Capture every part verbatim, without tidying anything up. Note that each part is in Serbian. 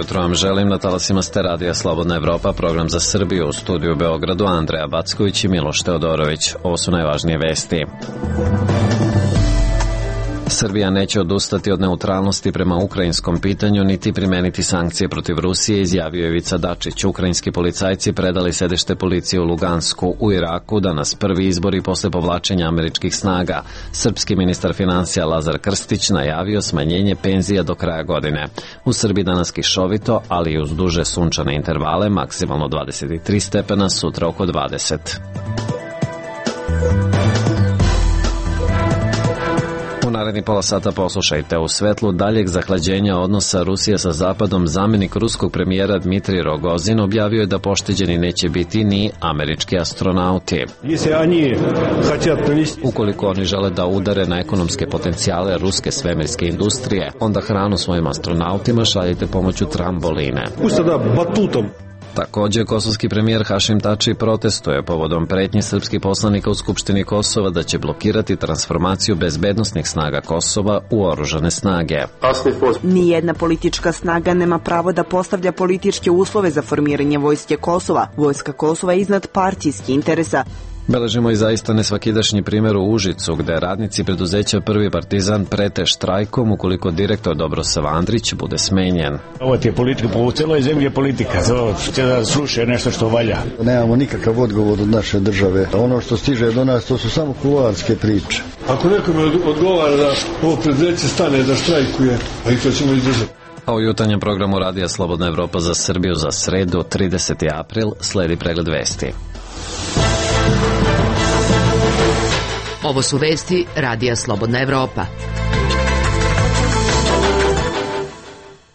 jutro vam želim na talasima ste radija Slobodna Evropa, program za Srbiju, u studiju u Beogradu Andreja Backović i Miloš Teodorović. Ovo su najvažnije vesti. Srbija neće odustati od neutralnosti prema ukrajinskom pitanju niti primeniti sankcije protiv Rusije, izjavio je Ivica Dačić. Ukrajinski policajci predali sedište policije u Lugansku u Iraku, danas prvi izbori posle povlačenja američkih snaga. Srpski ministar finansija Lazar Krstić najavio smanjenje penzija do kraja godine. U Srbiji danas kišovito, ali i uz duže sunčane intervale, maksimalno dvadeset tri stepena, sutra oko dvadeset. U naredni pola sata poslušajte. U svetlu daljeg zahlađenja odnosa Rusije sa Zapadom, zamenik ruskog premijera Dmitrij Rogozin objavio je da pošteđeni neće biti ni američki astronauti. Ukoliko oni žele da udare na ekonomske potencijale ruske svemirske industrije, onda hranu svojim astronautima šaljite pomoću tramboline. Također, kosovski premijer Hašim Tači protestuje povodom pretnji srpskih poslanika u Skupštini Kosova da će blokirati transformaciju bezbednosnih snaga Kosova u oružane snage. Nijedna politička snaga nema pravo da postavlja političke uslove za formiranje vojske Kosova. Vojska Kosova je iznad partijskih interesa. Beležimo i zaista nesvakidašnji primjer u Užicu, gde radnici preduzeća Prvi Partizan prete štrajkom ukoliko direktor Dobrosav Andrić bude smenjen. Ovo ti je politika, po celoj zemlji je politika, to će da sluša nešto što valja. Nemamo nikakav odgovor od naše države. Ono što stiže do nas, to su samo kuloarske priče. Ako nekome odgovara da ovo preduzeće stane da štrajkuje, a i to ćemo izdržati. A u jutarnjem programu Radija Slobodna Evropa za Srbiju za sredu, trideseti april, sledi pregled vesti. Ovo su vesti Radija Slobodna Evropa.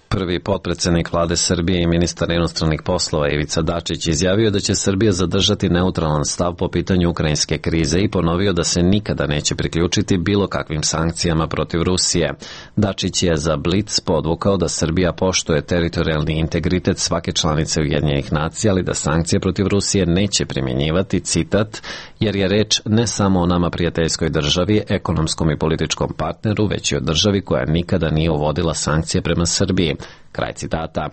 Prvi potpredsednik vlade Srbije i ministar inostranih poslova Ivica Dačić izjavio da će Srbija zadržati neutralan stav po pitanju ukrajinske krize i ponovio da se nikada neće priključiti bilo kakvim sankcijama protiv Rusije. Dačić je za Blic podvukao da Srbija poštuje teritorijalni integritet svake članice Ujedinjenih nacija, ali da sankcije protiv Rusije neće primjenjivati, citat, jer je reč ne samo o nama prijateljskoj državi, ekonomskom i političkom partneru, već i o državi koja nikada nije uvodila sankcije prema Srbiji. Kraj citata.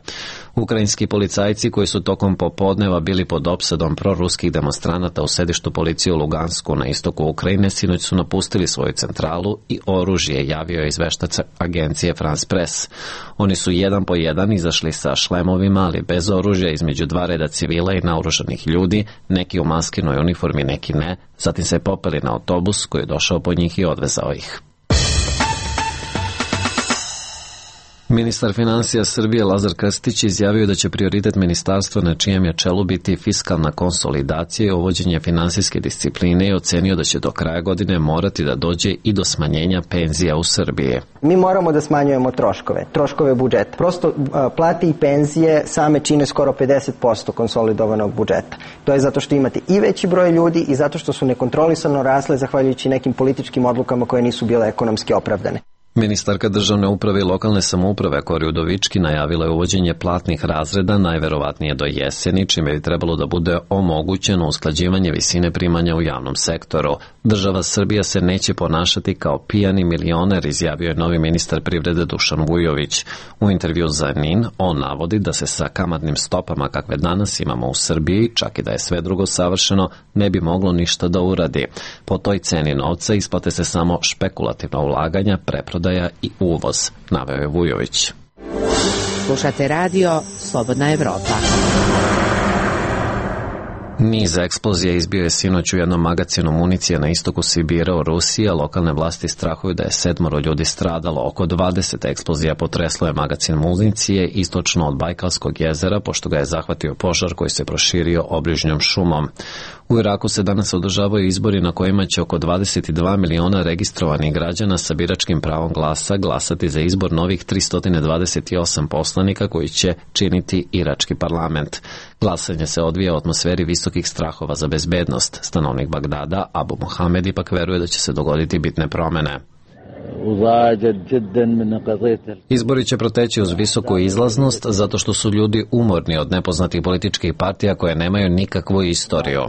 Ukrajinski policajci koji su tokom popodneva bili pod opsadom proruskih demonstranata u sedištu policije u Lugansku na istoku Ukrajine sinoć su napustili svoju centralu i oružje, javio je izveštač agencije France Press. Oni su jedan po jedan izašli sa šlemovima, ali bez oružja, između dva reda civila i naoružanih ljudi, neki u maskinoj uniformi, neki ne, zatim se popeli na autobus koji je došao po njih i odvezao ih. Ministar finansija Srbije Lazar Krstić izjavio da će prioritet ministarstva na čijem je čelu biti fiskalna konsolidacija i uvođenje finansijske discipline i ocenio da će do kraja godine morati da dođe i do smanjenja penzija u Srbiji. Mi moramo da smanjujemo troškove, troškove budžeta. Prosto plate i penzije same čine skoro pedeset posto konsolidovanog budžeta. To je zato što imate i veći broj ljudi i zato što su nekontrolisano rasle zahvaljujući nekim političkim odlukama koje nisu bile ekonomski opravdane. Ministarka državne uprave i lokalne samouprave Kori Udovički najavila je uvođenje platnih razreda najverovatnije do jeseni, čime bi trebalo da bude omogućeno usklađivanje visine primanja u javnom sektoru. Država Srbija se neće ponašati kao pijani milioner, izjavio je novi ministar privrede Dušan Vujović. U intervju za Nin on navodi da se sa kamatnim stopama kakve danas imamo u Srbiji, čak i da je sve drugo savršeno, ne bi moglo ništa da uradi. Po toj ceni novca isplate se samo špekulativna ulaganja, preprodaja i uvoz, naveo je Vujović. Slušate radio Slobodna Evropa. Niz eksplozija izbio je sinoć u jednom magacinu municije na istoku Sibira u Rusiji, a lokalne vlasti strahuju da je sedmoro ljudi stradalo. Oko dvadeset eksplozija potreslo je magacin municije istočno od Bajkalskog jezera, pošto ga je zahvatio požar koji se proširio obližnjom šumom. U Iraku se danas održavaju izbori na kojima će oko dvadeset dva miliona registrovanih građana sa biračkim pravom glasa glasati za izbor novih tristo dvadeset osam poslanika koji će činiti irački parlament. Glasanje se odvija u atmosferi visokih strahova za bezbednost. Stanovnik Bagdada, Abu Mohamed, ipak veruje da će se dogoditi bitne promene. Izbori će proteći uz visoku izlaznost zato što su ljudi umorni od nepoznatih političkih partija koje nemaju nikakvu istoriju.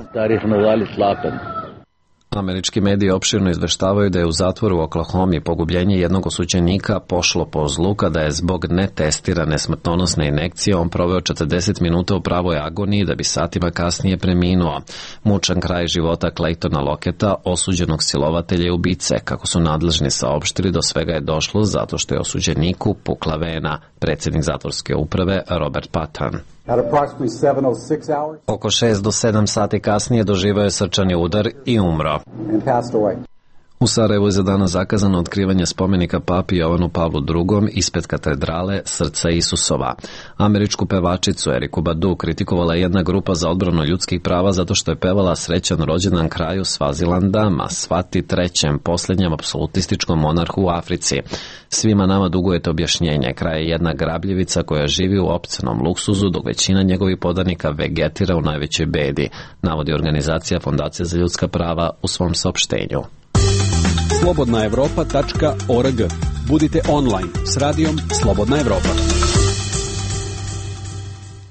Američki mediji opširno izveštavaju da je u zatvoru u Oklahomi pogubljenje jednog osuđenika pošlo po zlu kada je zbog netestirane smrtonosne injekcije on proveo četrdeset minuta u pravoj agoniji da bi satima kasnije preminuo. Mučan kraj života Claytona Locketta, osuđenog silovatelja i ubice. Kako su nadležni saopštili, do svega je došlo zato što je osuđeniku pukla vena. Predsjednik zatvorske uprave Robert Patton. Oko šest do sedam sati kasnije doživio je srčani udar i umro. U Sarajevu je za danas zakazano otkrivanje spomenika papi Jovanu Pavlu drugom ispred katedrale Srca Isusova. Američku pevačicu Eriku Badu kritikovala jedna grupa za odbranu ljudskih prava zato što je pevala srećan rođendan kraju Svazilanda, Masvati trećem, posljednjem apsolutističkom monarhu u Africi. Svima nama dugujete objašnjenje. Kraj je jedna grabljivica koja živi u opcenom luksuzu, dok većina njegovih podanika vegetira u najvećoj bedi, navodi organizacija Fondacija za ljudska prava u svom saopštenju. slobodna evropa tačka org. Budite online s radijom Slobodna Evropa.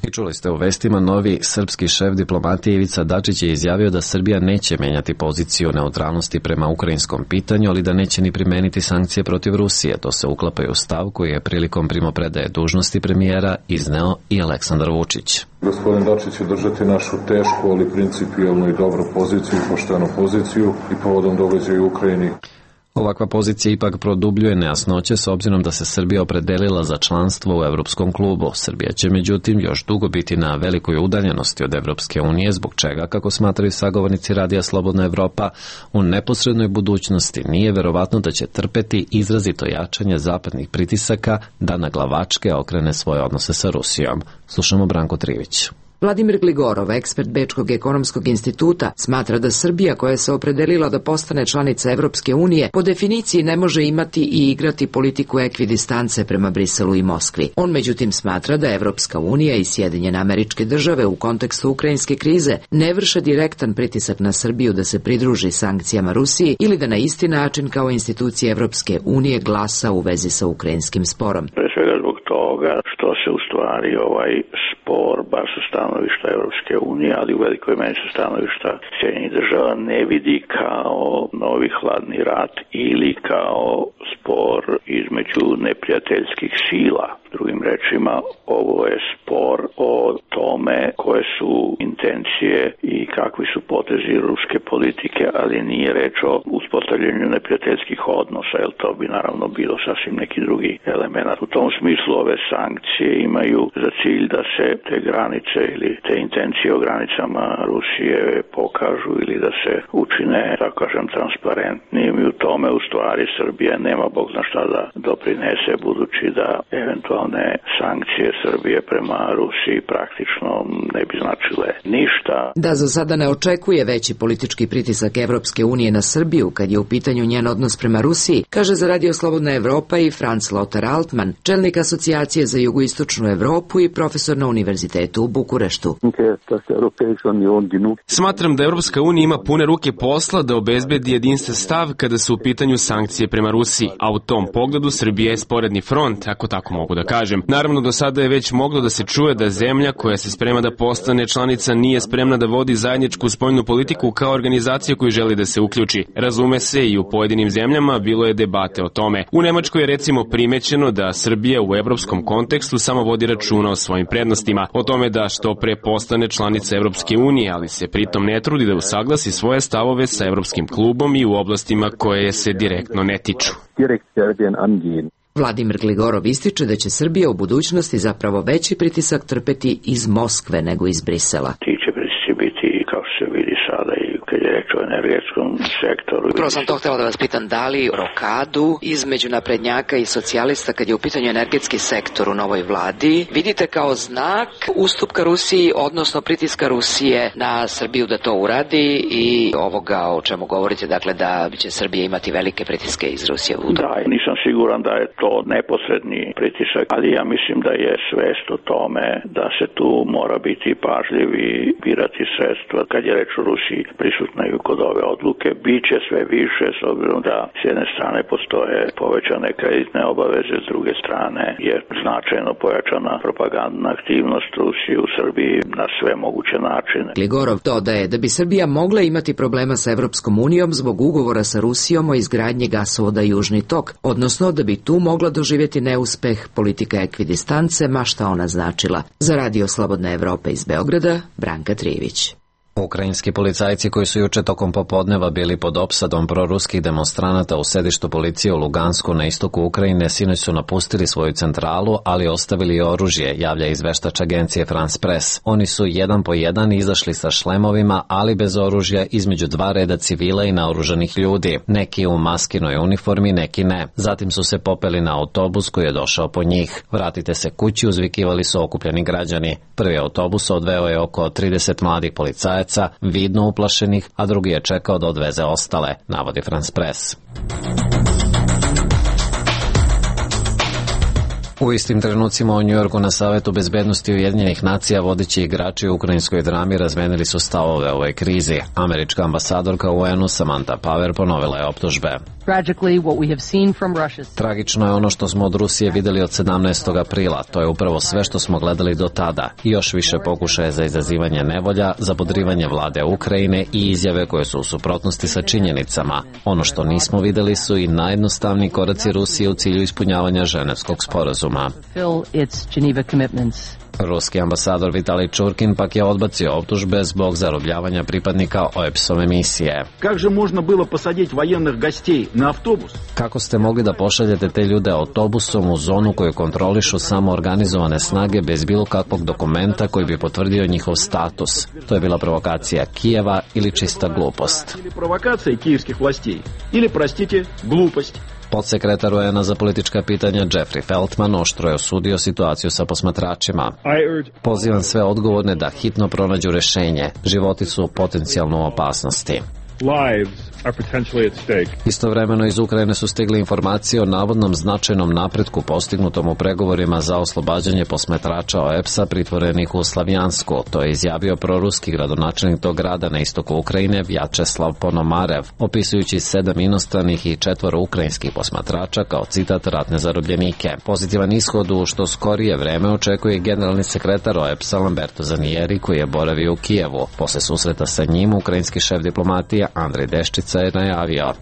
I čuli ste u vestima, novi srpski šef diplomatije Ivica Dačić je izjavio da Srbija neće menjati poziciju neutralnosti prema ukrajinskom pitanju, ali da neće ni primeniti sankcije protiv Rusije. To se uklapa u stav koji je prilikom primopredaje dužnosti premijera izneo i Aleksandar Vučić. Gospodin Dačić će držati našu tešku, ali principijelnu i dobru poziciju, poštenu poziciju i povodom događaja u Ukrajini. Ovakva pozicija ipak produbljuje nejasnoće s obzirom da se Srbija opredelila za članstvo u Evropskom klubu. Srbija će međutim još dugo biti na velikoj udaljenosti od Evropske unije, zbog čega, kako smatraju sagovornici Radija Slobodna Evropa, u neposrednoj budućnosti nije verovatno da će trpeti izrazito jačanje zapadnih pritisaka da na glavačke okrene svoje odnose sa Rusijom. Slušamo Branko Trivić. Vladimir Gligorov, ekspert Bečkog ekonomskog instituta, smatra da Srbija, koja se opredelila da postane članica Evropske unije, po definiciji ne može imati i igrati politiku ekvidistance prema Briselu i Moskvi. On međutim smatra da Evropska unija i Sjedinjene Američke Države u kontekstu ukrajinske krize ne vrše direktan pritisak na Srbiju da se pridruži sankcijama Rusiji ili da na isti način kao institucije Evropske unije glasa u vezi sa ukrajinskim sporom. Pre svega zbog toga što se u stvari ovaj spor, bar sa stanovišta Evropske unije, ali u velikoj meri sa stanovišta Sjedinjenih Država, ne vidi kao novi hladni rat ili kao spor između neprijateljskih sila. Drugim rečima, ovo je spor o tome koje su intencije i kakvi su potezi ruske politike, ali nije reč o uspostavljanju neprijateljskih odnosa, jer to bi naravno bilo sasvim neki drugi element. U tom smislu ove sankcije imaju za cilj da se te granice ili te intencije o granicama Rusije pokažu ili da se učine, tako kažem, transparentnim, i u tome u stvari Srbija nema bog zna šta da doprinese, budući da eventualne sankcije Srbije prema Rusiji praktično ne bi značile ništa. Da za sada ne očekuje veći politički pritisak Evropske unije na Srbiju kad je u pitanju njen odnos prema Rusiji, kaže za Radio Slobodna Evropa i Franz Lothar Altmann, čelnik asocijacije za jugoistočnu Evropu i profesor na univerzitetu u Bukureštu. Smatram da Evropska unija ima pune ruke posla da obezbedi jedinstven stav kada su u pitanju sankcije prema Rusiji, a u tom pogledu Srbija je sporedni front, ako tako mogu da kažem. Naravno, do sada je već moglo da se čuje da zemlja koja se sprema da postane članica nije spremna da vodi zajedničku spoljnu politiku kao organizacija koju želi da se uključi. Razume se, i u pojedinim zemljama bilo je debate o tome. U Nemačkoj je recimo primećeno da Srbija u evropskom kontekstu samo vodi računa o svojim prednostima, o tome da što pre postane članica Evropske unije, ali se pritom ne trudi da usaglasi svoje stavove sa Evropskim klubom i u oblastima koje se direktno ne tiču. Vladimir Gligorov ističe da će Srbija u budućnosti zapravo veći pritisak trpeti iz Moskve nego iz Brisela. Ti će pritisci biti, kao se vidi sada, i kad je reč o energetskom sektoru. Upravo sam to htjela da vas pitam, da li rokadu između naprednjaka i socijalista kad je u pitanju energetski sektor u novoj vladi vidite kao znak ustupka Rusiji, odnosno pritiska Rusije na Srbiju da to uradi i ovoga o čemu govorite, dakle da će Srbija imati velike pritiske iz Rusije? Da, nisam siguran da je to neposredni pritisak, ali ja mislim da je svest o tome da se tu mora biti pažljiv i birati sredstva kad je reč o Rusiji. Pri prisutna i kod ove odluke. Biće sve više s obzirom da s jedne strane postoje povećane kreditne obaveze, s druge strane je značajno pojačana propagandna aktivnost Rusije u Srbiji na sve moguće načine. Gligorov dodaje da bi Srbija mogla imati problema sa Evropskom unijom zbog ugovora sa Rusijom o izgradnji gasovoda Južni tok, odnosno da bi tu mogla doživjeti neuspeh politika ekvidistance, ma šta ona značila. Za Radio Slobodna Evropa iz Beograda, Branka Trijević. Ukrajinski policajci koji su juče tokom popodneva bili pod opsadom proruskih demonstranata u sedištu policije u Lugansku na istoku Ukrajine sinoć su napustili svoju centralu, ali ostavili oružje, javlja izveštač agencije France Press. Oni su jedan po jedan izašli sa šlemovima, ali bez oružja između dva reda civila i naoružanih ljudi. Neki u maskinoj uniformi, neki ne. Zatim su se popeli na autobus koji je došao po njih. Vratite se kući, uzvikivali su okupljeni građani. Prvi autobus odveo je oko trideset mladih policajaca, vidno uplašenih, a drugi je čekao da odveze ostale, navodi France Press. U istim trenucima u Njujorku na Savetu bezbednosti Ujedinjenih nacija vodeći igrači u ukrajinskoj drami razmenili su stavove o ovoj krizi. Američka ambasadorka u U N-u Samantha Power ponovila je optužbe. Tragično je ono što smo od Rusije videli od sedamnaestog aprila. To je upravo sve što smo gledali do tada. I još više pokušaje za izazivanje nevolja, za podrivanje vlade Ukrajine i izjave koje su u suprotnosti sa činjenicama. Ono što nismo videli su i najjednostavniji koraci Rusije u cilju ispunjavanja Ženevskog sporazuma. Ruski ambasador Vitalij Čurkin pak je odbacio optužbe zbog zarobljavanja pripadnika O E P S-ove misije. Kako ste mogli da pošaljete te ljude autobusom u zonu koju kontrolišu samo organizovane snage bez bilo kakvog dokumenta koji bi potvrdio njihov status? To je bila provokacija Kijeva ili čista glupost. Provokacija kijevskih vlasti ili, prostite, glupost. Podsekretar U N A za politička pitanja Jeffrey Feltman oštro je osudio situaciju sa posmatračima. Pozivam sve odgovorne da hitno pronađu rešenje. Životi su potencijalno u opasnosti. Istovremeno iz Ukrajine su stigle informacije o navodnom značajnom napretku postignutom u pregovorima za oslobađanje posmatrača O E P S-a pritvorenih u Slavjansku. To je izjavio proruski gradonačelnik tog grada na istoku Ukrajine Vjačeslav Ponomarev, opisujući sedam inostranih i četvoro ukrajinskih posmatrača kao citat ratne zarobljenike. Pozitivan ishod u što skorije vreme očekuje generalni sekretar O E P S-a Lamberto Zanieri koji je boravio u Kijevu. Posle susreta sa njim ukrajinski šef diplomatije Andrej Deščica je najavio.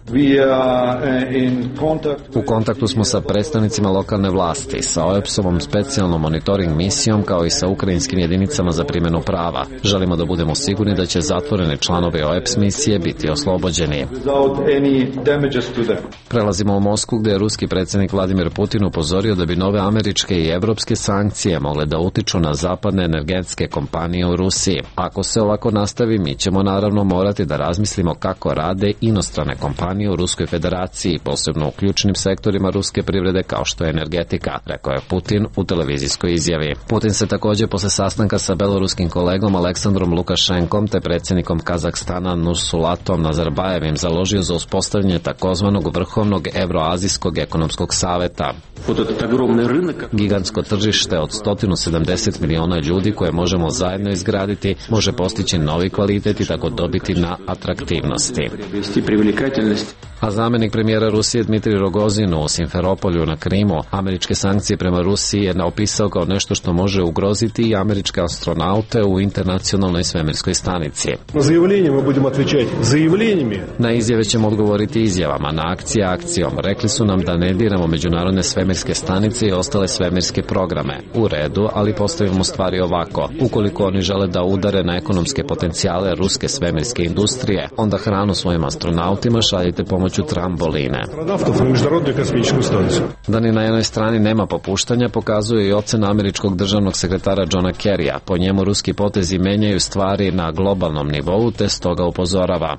U kontaktu smo sa predstavnicima lokalne vlasti, sa O E P S-ovom specijalnom monitoring misijom kao i sa ukrajinskim jedinicama za primjenu prava. Želimo da budemo sigurni da će zatvoreni članovi O E P S misije biti oslobođeni. Prelazimo u Moskvu gdje je ruski predsjednik Vladimir Putin upozorio da bi nove američke i evropske sankcije mogle da utiču na zapadne energetske kompanije u Rusiji. Ako se ovako nastavi, mi ćemo naravno morati da razmislimo kako rade inostrane kompanije u Ruskoj federaciji, posebno u ključnim sektorima ruske privrede kao što je energetika, rekao je Putin u televizijskoj izjavi. Putin se također posle sastanka sa beloruskim kolegom Aleksandrom Lukašenkom te predsjednikom Kazahstana Nursulatom Nazarbajevim založio za uspostavljanje takozvanog vrhovnog Evroazijskog ekonomskog saveta. Gigantsko tržište od sto sedamdeset miliona ljudi koje možemo zajedno izgraditi može postići novi kvalitet i tako dobiti na atraktivnosti. A zamjenik premijera Rusije Dmitrij Rogozin u Simferopolju na Krimu američke sankcije prema Rusiji je naopisao kao nešto što može ugroziti i američke astronaute u internacionalnoj svemirskoj stanici. Na izjave ćemo odgovoriti izjavama, na akcije akcijom. Rekli su nam da ne diramo međunarodne svemirske stanice i ostale svemirske programe. U redu, ali postavimo stvari ovako. Ukoliko oni žele da udare na ekonomske potencijale ruske svemirske industrije, onda hranu svojim astronautima šaljite pomoću tramboline. Da ni na jednoj strani nema popuštanja pokazuje i ocena američkog državnog sekretara Johna Kerrya. Po njemu ruski potezi menjaju stvari na globalnom nivou te stoga upozorava.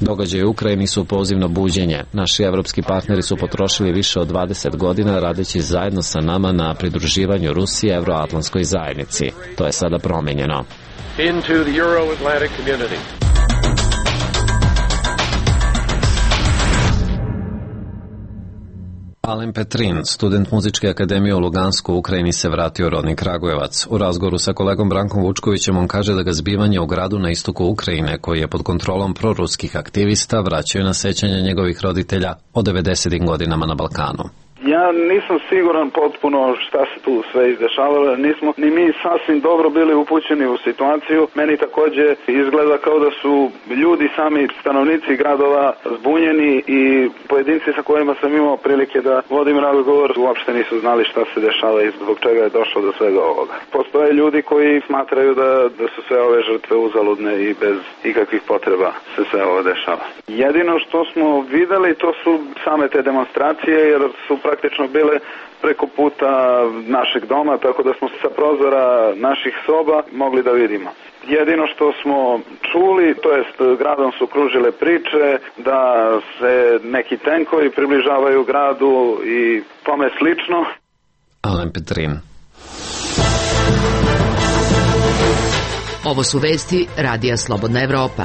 Događaji u Ukrajini su pozivno buđenje. Naši evropski partneri su potrošili više od dvadeset godina radeći zajedno sa nama na pridruživanju Rusije Evroatlantskoj zajednici. To je sada promenjeno. Into the Euro-Atlantic community. Alen Petrin, student Muzičke akademije u Lugansku u Ukrajini, se vratio u rodni Kragujevac. U razgovoru sa kolegom Brankom Vučkovićem on kaže da ga zbivanje u gradu na istoku Ukrajine, koji je pod kontrolom proruskih aktivista, vraćaju na sećanje njegovih roditelja o devedesetim godinama na Balkanu. Ja nisam siguran potpuno šta se tu sve izdešavalo, nismo ni mi sasvim dobro bili upućeni u situaciju. Meni takođe izgleda kao da su ljudi, sami stanovnici gradova, zbunjeni i pojedinci sa kojima sam imao prilike da vodim razgovor uopšte nisu znali šta se dešava i zbog čega je došlo do svega ovoga. Postoje ljudi koji smatraju da, da su sve ove žrtve uzaludne i bez ikakvih potreba se sve ovo dešava. Jedino što smo videli to su same te demonstracije, jer su praktično bile preko puta našeg doma, tako da smo sa prozora naših soba mogli da vidimo. Jedino što smo čuli, to jest gradom su kružile priče da se neki tenkovi približavaju gradu i tome slično. Alen Petrin. Ovo su vesti Radija Slobodna Evropa.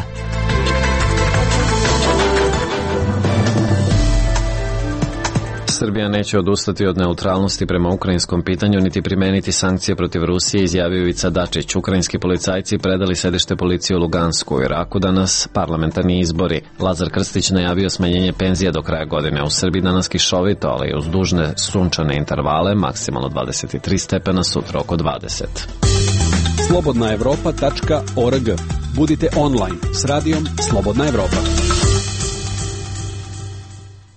Srbija neće odustati od neutralnosti prema ukrajinskom pitanju niti primeniti sankcije protiv Rusije, izjavio Ivica Dačić. Ukrajinski policajci predali sedište policije u Lugansku. U Iraku danas parlamentarni izbori. Lazar Krstić najavio smanjenje penzija do kraja godine. U Srbiji danas kišovito, ali uz dužne sunčane intervale, maksimalno dvadeset tri stepena, sutra oko dvadeset. slobodna evropa tačka org. Budite online s radijom Slobodna Evropa.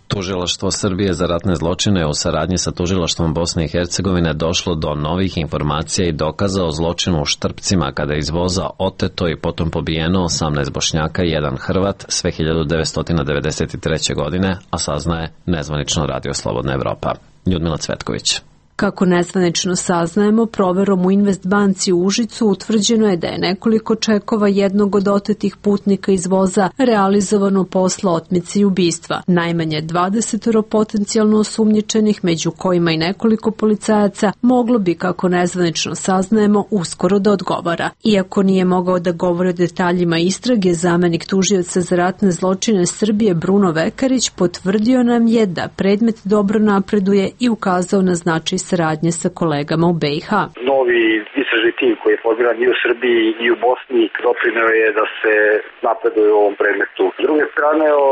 Tužilaštvo Srbije za ratne zločine u saradnji sa tužilaštvom Bosne i Hercegovine došlo do novih informacija i dokaza o zločinu u Štrpcima, kada je iz voza oteto i potom pobijeno osamnaest Bošnjaka i jedan Hrvat sve hiljadu devetsto devedeset treće. godine, a saznaje nezvanično Radio Slobodna Evropa. Ljudmila Cvetković. Kako nezvanično saznajemo, proverom u Investbanci u Užicu utvrđeno je da je nekoliko čekova jednog od otetih putnika iz voza realizovano posle otmice i ubistva. Najmanje dvadeset potencijalno osumnjičenih, među kojima i nekoliko policajaca, moglo bi, kako nezvanično saznajemo, uskoro da odgovara. Iako nije mogao da govori o detaljima istrage, zamenik tužioca za ratne zločine Srbije Bruno Vekarić potvrdio nam je da predmet dobro napreduje i ukazao na značaj saradnje sa kolegama u B i H. Novi istražni tim koji je formiran i u Srbiji i u Bosni doprineo je da se napreduje u ovom predmetu. S druge strane, o,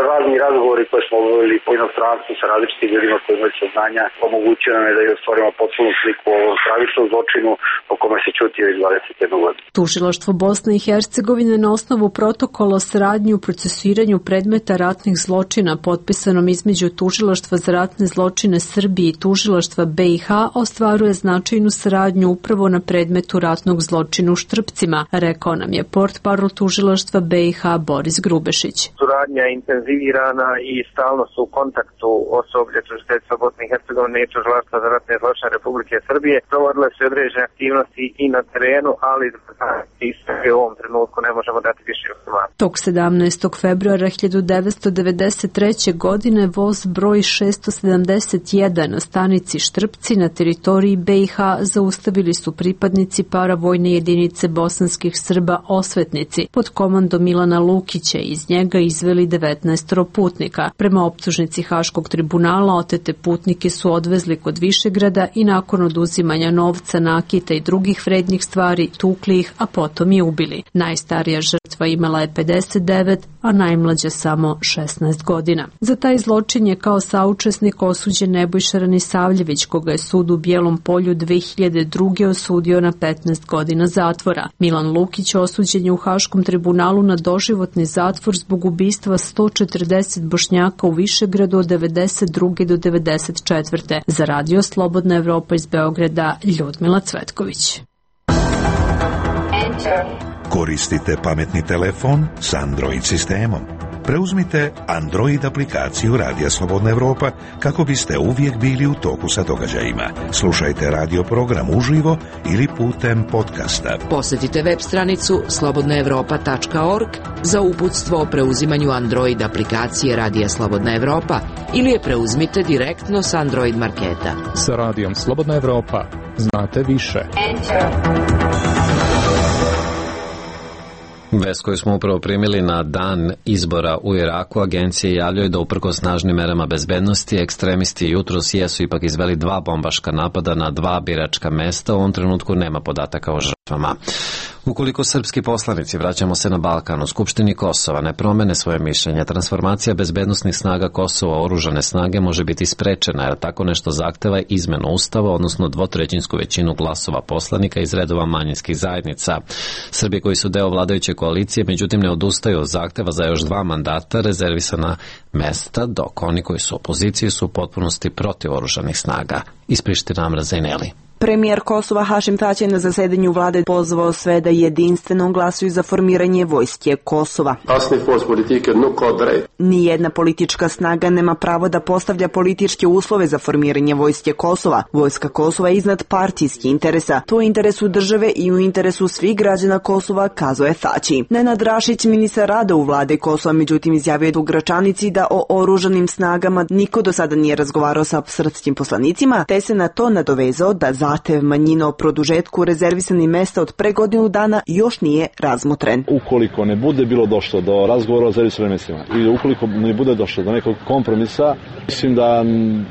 razni razgovori koje smo obavili po inostranstvu sa različitim ljudima koji imaju saznanja omogućuje nam je da je stvorimo potpunu sliku o ovom stravičnom zločinu o kome se ćuti već dvadeset jednu godinu. Tužilaštvo Bosne i Hercegovine na osnovu protokola o saradnji u procesuiranju predmeta ratnih zločina potpisanom između Tužilaštva za ratne zločine Srbije i Tužilaštva B i H ostvaruje značajnu saradnju upravo na predmetu ratnog zločina u Štrpcima, rekao nam je portparol Tužilaštva B i H Boris Grubešić. Suradnja je intenzivirana i stalno su u kontaktu osoblje Tužiteljstva Bosne i Hercegovine i Tužilaštva za ratne zločine Republike Srbije. Provodile su određene aktivnosti i na terenu, ali i u ovom trenutku ne možemo dati više informacije. Tog sedamnaestog februara hiljadu devetsto devedeset treće. godine voz broj šesto sedamdeset jedan na stanici Štrpci na teritoriji B i H zaustavili su pripadnici paravojne jedinice bosanskih Srba Osvetnici pod komandom Milana Lukića i iz njega izveli devetnaest putnika. Prema optužnici Haškog tribunala otete putnike su odvezli kod Višegrada i nakon oduzimanja novca, nakita i drugih vrednih stvari tukli ih, a potom i ubili. Najstarija žrtva imala je pedeset devet, a najmlađa samo šesnaest godina. Za taj zločin je kao saučesnik osuđen Nebojša Ranisavljević, koga je sud u Bijelom Polju dve hiljade druge. osudio na petnaest godina zatvora. Milan Lukić osuđen je u Haškom tribunalu na doživotni zatvor zbog ubistva sto četrdeset Bošnjaka u Višegradu od devedeset druge. do devedeset četvrte. Za Radio Slobodna Evropa iz Beograda, Ljudmila Cvetković. Koristite pametni telefon s Android sistemom. Preuzmite Android aplikaciju Radija Slobodna Evropa kako biste uvijek bili u toku sa događajima. Slušajte radio program uživo ili putem podcasta. Posjetite web stranicu slobodna evropa tačka org za uputstvo o preuzimanju Android aplikacije Radija Slobodna Evropa ili je preuzmite direktno s Android marketa. Sa Radijom Slobodna Evropa znate više. Enter. Vest koju smo upravo primili na dan izbora u Iraku, agencije javljaju da uprkos snažnim merama bezbednosti, ekstremisti jutros jesu ipak izveli dva bombaška napada na dva biračka mesta. U ovom trenutku nema podataka o žrtvama. Ukoliko srpski poslanici, vraćamo se na Balkan, u Skupštini Kosova ne promene svoje mišljenje, transformacija bezbednosnih snaga Kosova u oružane snage može biti sprečena, jer tako nešto zahteva izmenu ustava, odnosno dvotrećinsku većinu glasova poslanika iz redova manjinskih zajednica. Srbi koji su deo vladajuće koalicije, međutim ne odustaju od zahteva za još dva mandata rezervisana mesta, dok oni koji su u opoziciji su u potpunosti protiv oružanih snaga. Iz Prištine Amra Zaineli. Premijer Kosova Hašim Tači na zasedanju vlade pozvao sve da jedinstveno glasuju za formiranje vojske Kosova. Nijedna politička snaga nema pravo da postavlja političke uslove za formiranje vojske Kosova. Vojska Kosova je iznad partijskih interesa. To je u interesu države i u interesu svih građana Kosova, kazao je Tači. Nenad Rašić, ministar rada u vlade Kosova, međutim izjavio je u Gračanici da o oružanim snagama niko do sada nije razgovarao sa srpskim poslanicima, te se na to nadovezao da zahtev manjina o produžetku rezervisanih mesta od pre godinu dana još nije razmotren. Ukoliko ne bude bilo došlo do razgovora o rezervisanim mestima ili ukoliko ne bude došlo do nekog kompromisa, mislim da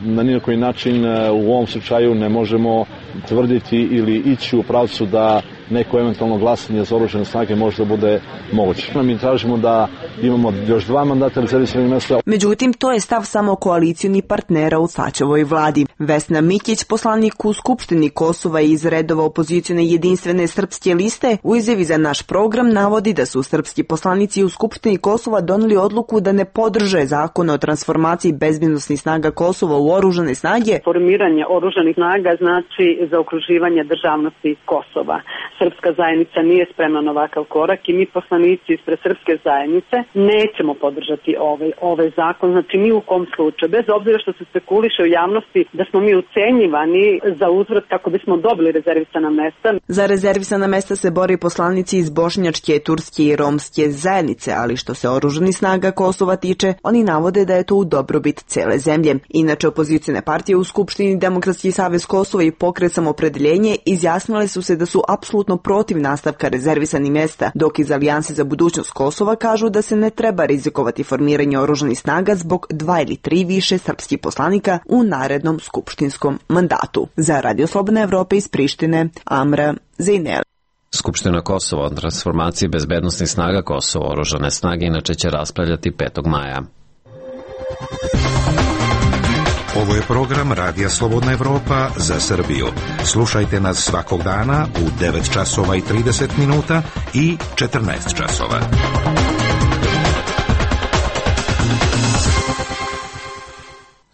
na nijedan način u ovom slučaju ne možemo tvrditi ili ići u pravcu da neko eventualno glasanje za oružane snage može da bude moguće. Mi tražimo da imamo još dva mandata rezervisanih mesta. Međutim, to je stav samo koalicioni partnera u Tačevoj vladi. Vesna Mikić, poslanik u Skupštini Kosova iz redova opozicione jedinstvene srpske liste, u izjavi za naš program navodi da su srpski poslanici u Skupštini Kosova doneli odluku da ne podrže zakon o transformaciji bezbednosnih snaga Kosova u oružane snage. Formiranje oružanih snaga znači zaokruživanje državnosti Kosova. Srpska zajednica nije spremna na ovakav korak i mi poslanici ispred srpske zajednice nećemo podržati ovaj, ovaj zakon, znači ni u kom slučaju, bez obzira što se spekuliše u javnosti da smo mi ucenjivani za uzvrat kako bismo dobili rezervisana mesta. Za rezervisana mesta se bori poslanici iz bošnjačke, turske i romske zajednice, ali što se oružanih snaga Kosova tiče, oni navode da je to u dobrobit cele zemlje. Inače, opozicijne partije u Skupštini Demokratski savez Kosova i Pokret Samoopredjeljenje izjasnile su se da su apsolutno protiv nastavka rezervisanih mesta, dok iz Alijanse za budućnost Kosova kažu da se ne treba rizikovati formiranje oružanih snaga zbog dva ili tri više srpskih poslanika u narednom skupštinskom mandatu. Za Radio Slobodne Evrope iz Prištine, Amra Zaineli. Skupština Kosova o transformaciji bezbednosnih snaga Kosova oružane snage inače će raspravljati petog maja. Ovo je program Radija Slobodna Evropa za Srbiju. Slušajte nas svakog dana u devet časova i trideset minuta i četrnaest časova.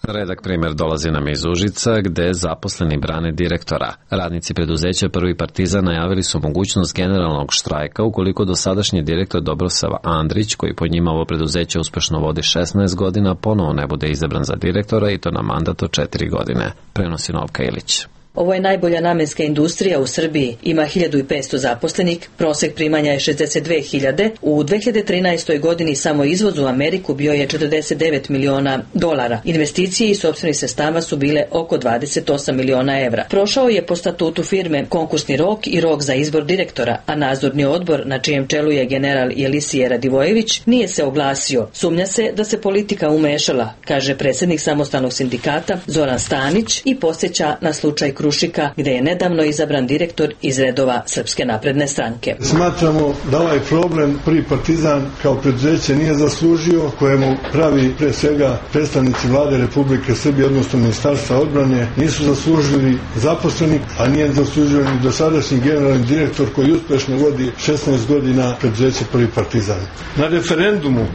Redak primjer dolazi nam iz Užica, gde zaposleni brane direktora. Radnici preduzeća Prvi Partizan najavili su mogućnost generalnog štrajka ukoliko dosadašnji direktor Dobrosav Andrić, koji po njima ovo preduzeće uspešno vodi šesnaest godina, ponovo ne bude izabran za direktora i to na mandat od četiri godine. Prenosi Novka Ilić. Ovo je najbolja namenska industrija u Srbiji, ima hiljadu i petsto zaposlenih, prosek primanja je šezdeset dve hiljade, u dve hiljade trinaestoj. godini samo izvoz u Ameriku bio je četrdeset devet miliona dolara. Investicije i sopstveni sredstava su bile oko dvadeset osam miliona evra. Prošao je po statutu firme konkursni rok i rok za izbor direktora, a nadzorni odbor, na čijem čelu je general Jelisije Radivojević, nije se oglasio. Sumnja se da se politika umešala, kaže predsjednik samostalnog sindikata Zoran Stanić i podsjeća na slučaj Krušika, gde je nedavno izabran direktor iz redova Srpske napredne stranke. Smatramo da ovaj problem Prvi Partizan kao preduzeće nije zaslužio, kojemu pravi pre svega predstavnici vlade Republike Srbije, odnosno Ministarstva odbrane, nisu zaslužili zaposleni, a nije zaslužio ni dosadašnji generalni direktor koji uspešno vodi šesnaest godina preduzeće Prvi Partizan. Na referendumu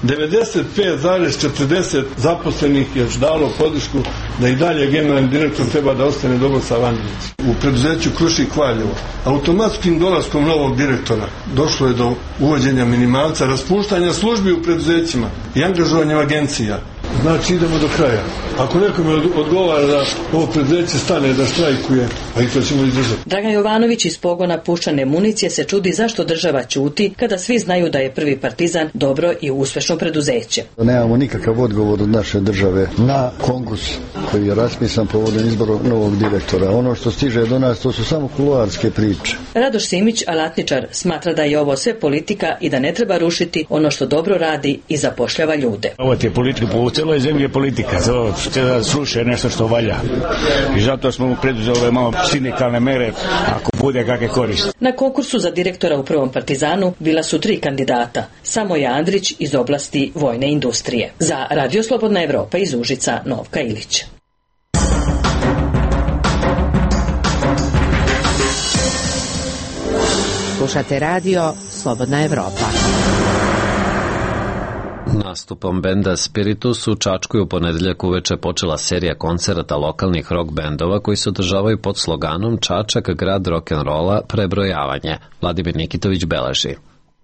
devedeset pet zarez četrdeset zaposlenih je dalo podršku da i dalje generalni direktor treba da ostane Dobrosav Andrić. U preduzeću Krušik Valjevo automatskim dolaskom novog direktora došlo je do uvođenja minimalca, raspuštanja službi u preduzećima i angažovanja agencija. znači idemo do kraja. Ako nekome odgovara da ovo preduzeće stane da štrajkuje, a i to ćemo izdržati. Dragan Jovanović iz pogona puščane municije se čudi zašto država ćuti kada svi znaju da je Prvi Partizan dobro i uspešno preduzeće. Nemamo nikakav odgovor od naše države na konkurs koji je raspisan povodom izbora novog direktora. Ono što stiže do nas to su samo kuloarske priče. Radoš Simić, alatničar, smatra da je ovo sve politika i da ne treba rušiti ono što dobro radi i zapošljava ljude. Ovo je politika, po celoj zemlji je politika, to će da sluša nešto što valja. I zato smo preduzeli ove malo sindikalne mere, ako bude kakve koriste. Na konkursu za direktora u Prvom Partizanu bila su tri kandidata. Samoja Andrić iz oblasti vojne industrije. Za Radio Slobodna Evropa iz Užica, Novka Ilić. Slušate radio Slobodna Evropa. Nastupom benda Spiritus u Čačku je u ponedeljak uveče počela serija koncerata lokalnih rock bendova koji se održavaju pod sloganom Čačak, grad rock'n'rolla, prebrojavanje. Vladimir Nikitović beleži.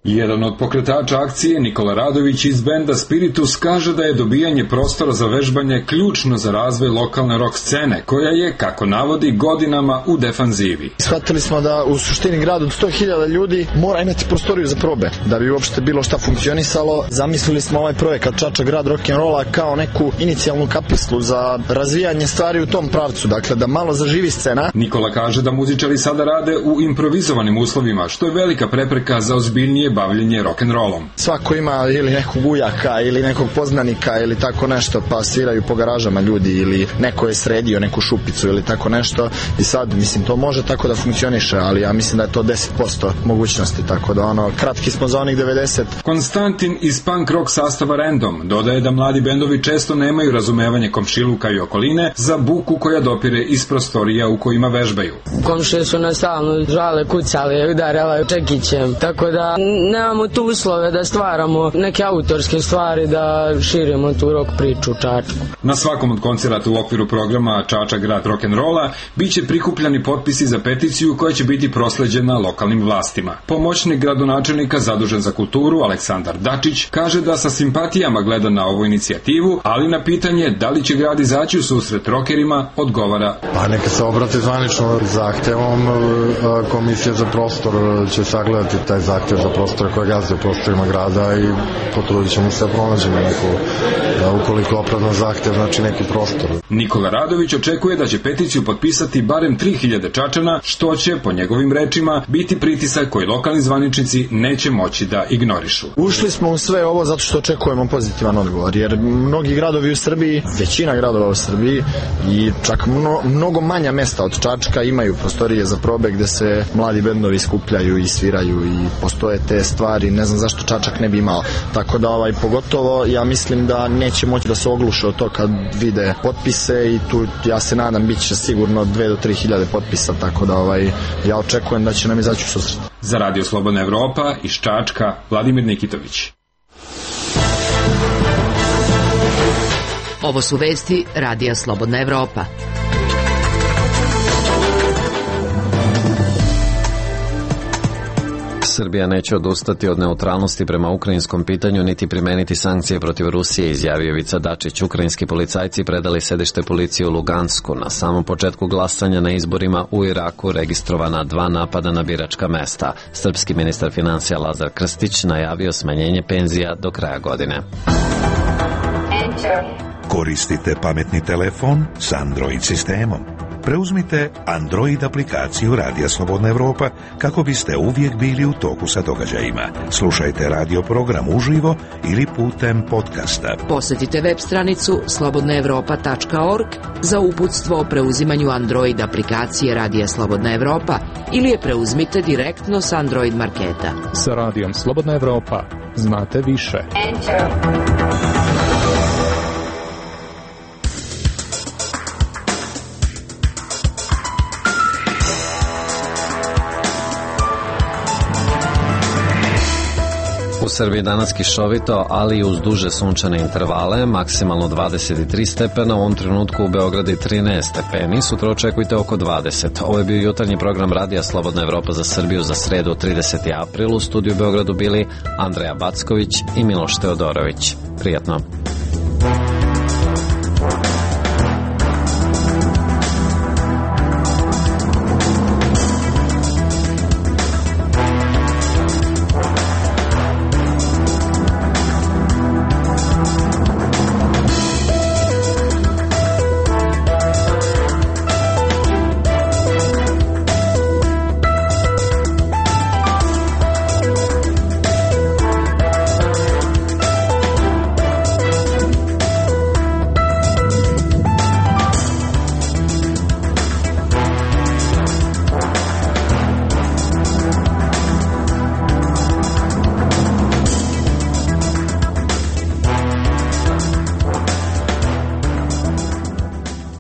Jedan od pokretača akcije, Nikola Radović iz benda Spiritus, kaže da je dobijanje prostora za vežbanje ključno za razvoj lokalne rock scene, koja je, kako navodi, godinama u defanzivi. Shvatili smo da u suštini grad od sto hiljada ljudi mora imati prostoriju za probe, da bi uopšte bilo šta funkcionisalo. Zamislili smo ovaj projekat Čačak, grad rock'n'rolla kao neku inicijalnu kapislu za razvijanje stvari u tom pravcu, dakle da malo zaživi scena. Nikola kaže da muzičari sada rade u improvizovanim uslovima, što je velika prepreka za ozbiljnije bavljenje rock'n'rollom. Svako ima ili nekog ujaka ili nekog poznanika ili tako nešto, pa sviraju po garažama ljudi ili neko je sredio neku šupicu ili tako nešto i sad, mislim, to može tako da funkcioniše, ali ja mislim da je to deset posto mogućnosti, tako da ono, kratki smo za onih devedeset. Konstantin iz punk rock sastava Random dodaje da mladi bendovi često nemaju razumevanje komšiluka i okoline za buku koja dopire iz prostorija u kojima vežbaju. Komšije su nas stalno žale, kucale, udarale čekićem, tako da nemamo tu uslove da stvaramo neke autorske stvari, da širimo tu rock priču u Čačku. Na svakom od koncerata u okviru programa Čačak, grad rock'n'rolla biće prikupljani potpisi za peticiju koja će biti prosleđena lokalnim vlastima. Pomoćnik gradonačelnika zadužen za kulturu Aleksandar Dačić kaže da sa simpatijama gleda na ovu inicijativu, ali na pitanje da li će grad izaći u susret rockerima odgovara: Pa neka se obrate zvanično zahtevom, komisija za prostor će sagledati taj zahtev za prostor koje gazde u prostorima grada i potrudit ćemo se da pronađemo neku, da ukoliko opravdan zahtev, znači neki prostor. Nikola Radović očekuje da će peticiju potpisati barem tri hiljade Čačana, što će, po njegovim rečima, biti pritisak koji lokalni zvaničnici neće moći da ignorišu. Ušli smo u sve ovo zato što očekujemo pozitivan odgovor, jer mnogi gradovi u Srbiji, većina gradova u Srbiji i čak mno, mnogo manja mesta od Čačka imaju prostorije za probe gde se mladi bendovi skupljaju i sviraju i postoje te stvari, ne znam zašto Čačak ne bi imao. Tako da ovaj, pogotovo ja mislim da neće moći da se ogluše od to kad vide potpise i tu ja se nadam bit će sigurno dve do tri hiljade potpisa, tako da ovaj, ja očekujem da će nam izaći u susret. Za Radio Slobodna Evropa iz Čačka, Vladimir Nikitović. Ovo su vesti Radija Slobodna Evropa. Srbija neće odustati od neutralnosti prema ukrajinskom pitanju niti primeniti sankcije protiv Rusije, izjavio Ivica Dačić. Ukrajinski policajci predali sedište policije u Lugansku. Na samom početku glasanja na izborima u Iraku registrovana dva napada na biračka mesta. Srpski ministar financija Lazar Krstić najavio smanjenje penzija do kraja godine. Koristite pametni telefon s Android sistemom. Preuzmite Android aplikaciju Radija Slobodna Evropa kako biste uvijek bili u toku sa događajima. Slušajte radio program uživo ili putem podcasta. Posjetite web stranicu slobodna evropa tačka org za uputstvo o preuzimanju Android aplikacije Radija Slobodna Evropa ili je preuzmite direktno s Android marketa. Sa Radijom Slobodna Evropa znate više. Enter. U Srbiji danas kišovito, ali i uz duže sunčane intervale, maksimalno dvadeset tri stepena, u ovom trenutku u Beogradu trinaest stepeni, sutra očekujte oko dvadeset. Ovo je bio jutarnji program Radija Slobodna Evropa za Srbiju za sredu trideseti april. U studiju u Beogradu bili Andreja Backović i Miloš Teodorović. Prijatno.